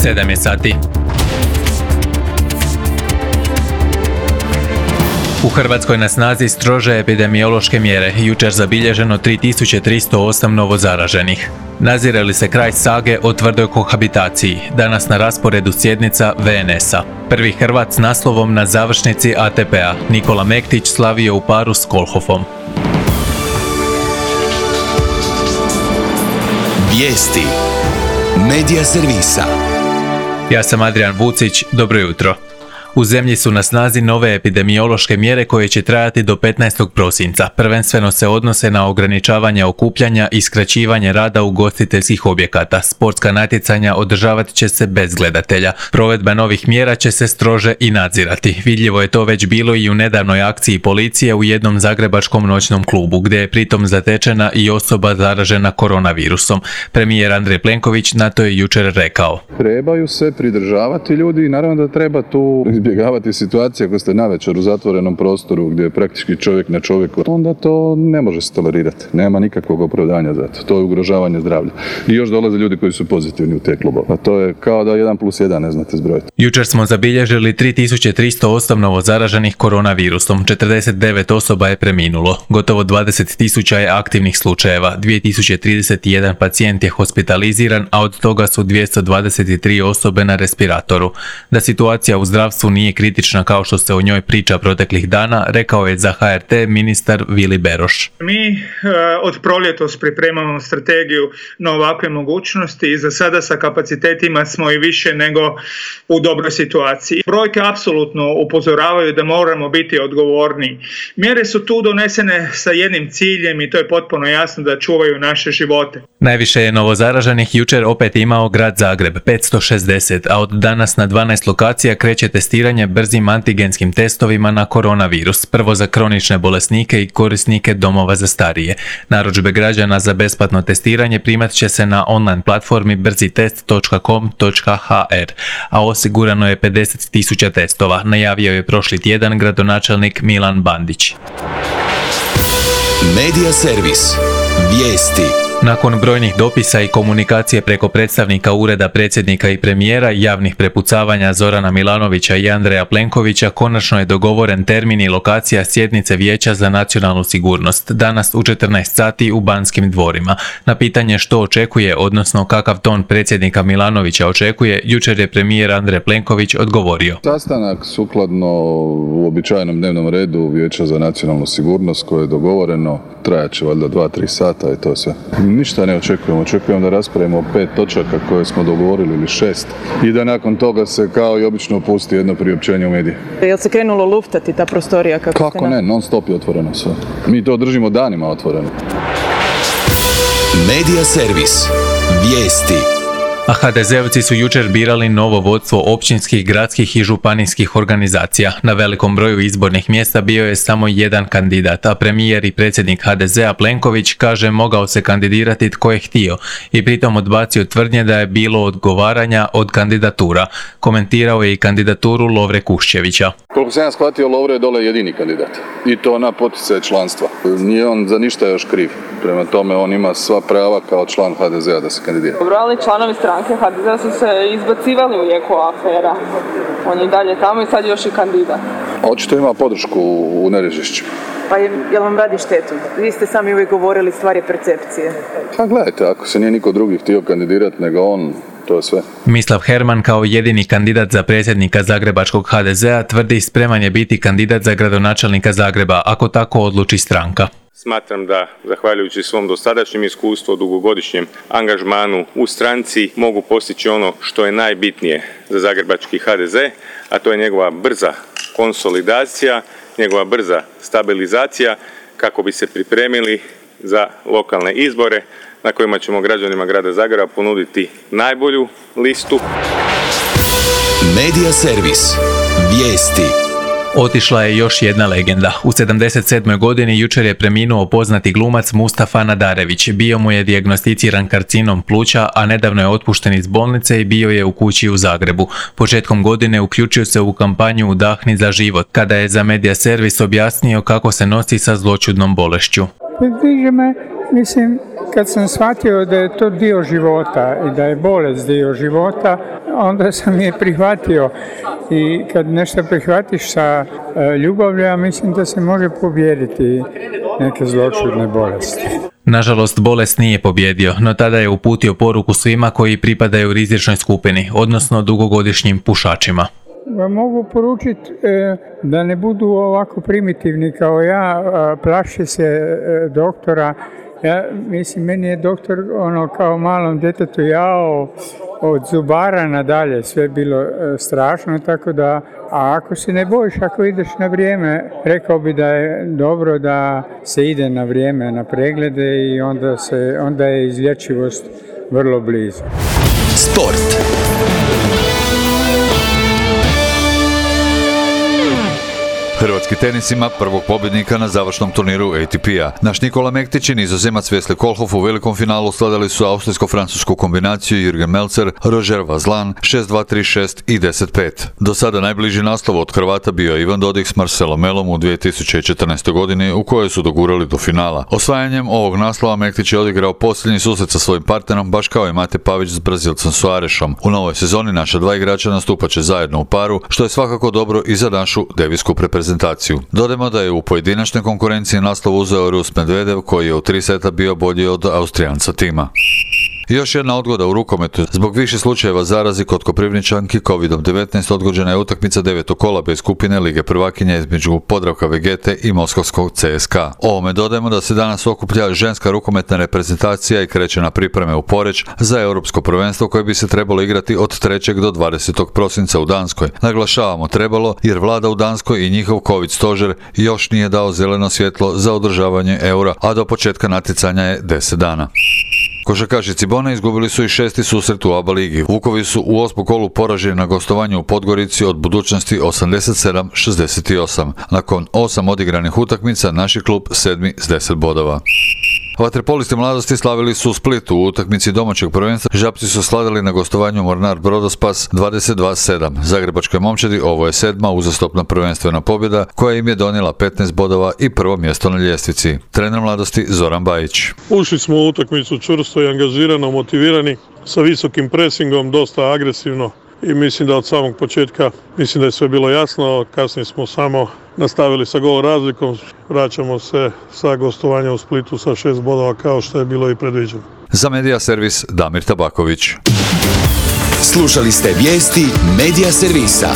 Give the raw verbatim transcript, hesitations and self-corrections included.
sedam je sati. U Hrvatskoj na snazi strože epidemiološke mjere. Jučer zabilježeno tri tisuće tristo osam novozaraženih. Nazire li se kraj sage o tvrdoj kohabitaciji? Danas na rasporedu sjednica ve en esa. Prvi Hrvat s naslovom na završnici a te pe a, Nikola Mektić, slavio u paru s Kolhofom. Vijesti Medija servisa. Ja sam Adrian Vucić, dobro jutro. U zemlji su na snazi nove epidemiološke mjere koje će trajati do petnaestog prosinca. Prvenstveno se odnose na ograničavanje okupljanja i skraćivanje rada ugostiteljskih objekata. Sportska natjecanja održavat će se bez gledatelja. Provedba novih mjera će se strože i nadzirati. Vidljivo je to već bilo i u nedavnoj akciji policije u jednom zagrebačkom noćnom klubu, gdje je pritom zatečena i osoba zaražena koronavirusom. Premijer Andrej Plenković na to je jučer rekao: Trebaju se pridržavati ljudi i naravno da treba tu izbjegavati situacije ako ste navečer u zatvorenom prostoru gdje je praktički čovjek na čovjeku, onda to ne može se tolerirati. Nema nikakvog opravdanja za to. To je ugrožavanje zdravlja. I još dolaze ljudi koji su pozitivni u te klubove. A to je kao da jedan plus jedan ne znate zbrojiti. Jučer smo zabilježili tri tisuće tristo osam novozaraženih koronavirusom. četrdeset devet osoba je preminulo. Gotovo dvadeset tisuća je aktivnih slučajeva. dvije tisuće trideset jedan pacijent je hospitaliziran, a od toga su dvjesto dvadeset tri osobe na respiratoru. Da situacija u zdravstvu nije kritična kao što se o njoj priča proteklih dana, rekao je za ha er te ministar Vili Beroš. Mi e, od proljetos pripremamo strategiju na ovakve mogućnosti i za sada sa kapacitetima smo i više nego u dobroj situaciji. Brojke apsolutno upozoravaju da moramo biti odgovorni. Mjere su tu donesene sa jednim ciljem i to je potpuno jasno, da čuvaju naše živote. Najviše je novozaraženih jučer opet imao grad Zagreb, petsto šezdeset, a od danas na dvanaest lokacija kreće testiranje brzim antigenskim testovima na koronavirus, prvo za kronične bolesnike i korisnike domova za starije. Narudžbe građana za besplatno testiranje primat će se na online platformi brzitest točka com točka ha er, a osigurano je pedeset tisuća testova, najavio je prošli tjedan gradonačelnik Milan Bandić. Medija servis. Vijesti. Nakon brojnih dopisa i komunikacije preko predstavnika ureda predsjednika i premijera, javnih prepucavanja Zorana Milanovića i Andreja Plenkovića, konačno je dogovoren termin i lokacija sjednice Vijeća za nacionalnu sigurnost, danas u četrnaest sati u Banskim dvorima. Na pitanje što očekuje, odnosno kakav ton predsjednika Milanovića očekuje, jučer je premijer Andrej Plenković odgovorio: Sastanak sukladno uobičajenom dnevnom redu Vijeća za nacionalnu sigurnost koje je dogovoreno trajat će valjda dva tri sata i to sve. Ništa ne očekujemo, očekujemo da raspravimo pet točaka koje smo dogovorili ili šest i da nakon toga se kao i obično pusti jedno priopćenje u medije. Jel se krenulo luftati ta prostorija? Kako, kako ne, non stop je otvoreno sve. Mi to držimo danima otvoreno. Medija servis. Vijesti. A ha de zeovci su jučer birali novo vodstvo općinskih, gradskih i županijskih organizacija. Na velikom broju izbornih mjesta bio je samo jedan kandidat, a premijer i predsjednik ha de zea Plenković kaže mogao se kandidirati tko je htio i pritom odbacio tvrdnje da je bilo odgovaranja od kandidatura. Komentirao je i kandidaturu Lovre Kuščevića. Koliko sam ja shvatio, Lovre je dole jedini kandidat i to na poticaj članstva. Nije on za ništa još kriv. Prema tome on ima sva prava kao član ha de zea da se kandidira. Brali članovi stranke ha de zea su se izbacivali u jeku afera. On je dalje tamo i sad još i kandidat. Očito ima podršku u Nerežišću. Pa je, jel vam radi štetu? Vi ste sami uvijek govorili stvari percepcije. Pa gledajte, ako se nije niko drugi htio kandidirati nego on, to je sve. Mislav Herman kao jedini kandidat za predsjednika zagrebačkog ha de zea tvrdi spreman je biti kandidat za gradonačelnika Zagreba, ako tako odluči stranka. Smatram da, zahvaljujući svom dosadašnjem iskustvu, dugogodišnjem angažmanu u stranci, mogu postići ono što je najbitnije za zagrebački ha de ze, a to je njegova brza konsolidacija, njegova brza stabilizacija kako bi se pripremili za lokalne izbore na kojima ćemo građanima grada Zagreba ponuditi najbolju listu. Medija servis. Vijesti. Otišla je još jedna legenda. U sedamdeset sedmoj godini jučer je preminuo poznati glumac Mustafa Nadarević. Bio mu je dijagnosticiran karcinom pluća, a nedavno je otpušten iz bolnice i bio je u kući u Zagrebu. Početkom godine uključio se u kampanju Udahni za život, kada je za Medija servis objasnio kako se nosi sa zloćudnom bolešću. Stiže me Mislim, kad sam shvatio da je to dio života i da je bolest dio života, onda sam je prihvatio. I kad nešto prihvatiš sa ljubavlju, ja mislim da se može pobijediti neke zloćudne bolesti. Nažalost, bolest nije pobjedio, no tada je uputio poruku svima koji pripadaju rizičnoj skupini, odnosno dugogodišnjim pušačima. Mogu poručiti e, da ne budu ovako primitivni kao ja, plaši se e, doktora. Ja, mislim, meni je doktor ono kao malom djetetu jao od zubara nadalje, sve bilo e, strašno, tako da, a ako se ne bojiš, ako ideš na vrijeme, rekao bi da je dobro da se ide na vrijeme na preglede i onda, se, onda je izlječivost vrlo blizu. Sport. Hrvatski tenis ima prvog pobjednika na završnom turniru A T P-a. Naš Nikola Mektić i Nizozemac Wesley Kohlhoff u velikom finalu slavili su austrijsko-francusku kombinaciju Jürgen Melzer, Roger Vazlan šest dva, tri šest i deset pet. Do sada najbliži naslov od Hrvata bio je Ivan Dodig s Marcelom Melom u dvije tisuće četrnaestoj. godini u kojoj su dogurali do finala. Osvajanjem ovog naslova Mektić je odigrao posljednji susret sa svojim partnerom, baš kao i Mate Pavić s Brazilcem Soarešom. U novoj sezoni naša dva igrača nastupat će zajedno u paru, što je svakako dobro i za našu devijsku reprezentaciju. Dodajmo da je u pojedinačnoj konkurenciji naslov uzeo Rus Medvedev, koji je u tri seta bio bolji od Austrijanca Tima. Još jedna odgoda u rukometu. Zbog više slučajeva zarazi kod Koprivničanki kovid devetnaest odgođena je utakmica devetog kola bez skupine Lige prvakinja između Podravka Vegete i Moskovskog C S K A. Ovome dodajemo da se danas okuplja ženska rukometna reprezentacija i kreće na pripreme u Poreč za europsko prvenstvo koje bi se trebalo igrati od trećeg do dvadesetog prosinca u Danskoj. Naglašavamo trebalo jer vlada u Danskoj i njihov covid stožer još nije dao zeleno svjetlo za održavanje eura, a do početka natjecanja je deset dana. Košarkaši Cibone izgubili su i šesti susret u A B A ligi. Vukovi su u osmom kolu poraženi na gostovanju u Podgorici od Budućnosti osamdeset sedam šezdeset osam. Nakon osam odigranih utakmica, naš klub sedmi s deset bodova. Vaterpolisti mladosti slavili su u Splitu u utakmici domaćeg prvenstva. Žapci su slavili na gostovanju Mornar Brodospas dvadeset dva sedam. Zagrebačkoj momčadi ovo je sedma uzastopna prvenstvena pobjeda koja im je donijela petnaest bodova i prvo mjesto na ljestvici. Trener mladosti Zoran Bajić. Ušli smo u utakmicu čvrsto i angažirano, motivirani, sa visokim presingom, dosta agresivno. I mislim da od samog početka, mislim da je sve bilo jasno, kasnije smo samo nastavili sa gol razlikom, vraćamo se sa gostovanja u Splitu sa šest bodova kao što je bilo i predviđeno. Za Medija Servis Damir Tabaković. Slušali ste vijesti Medija Servisa.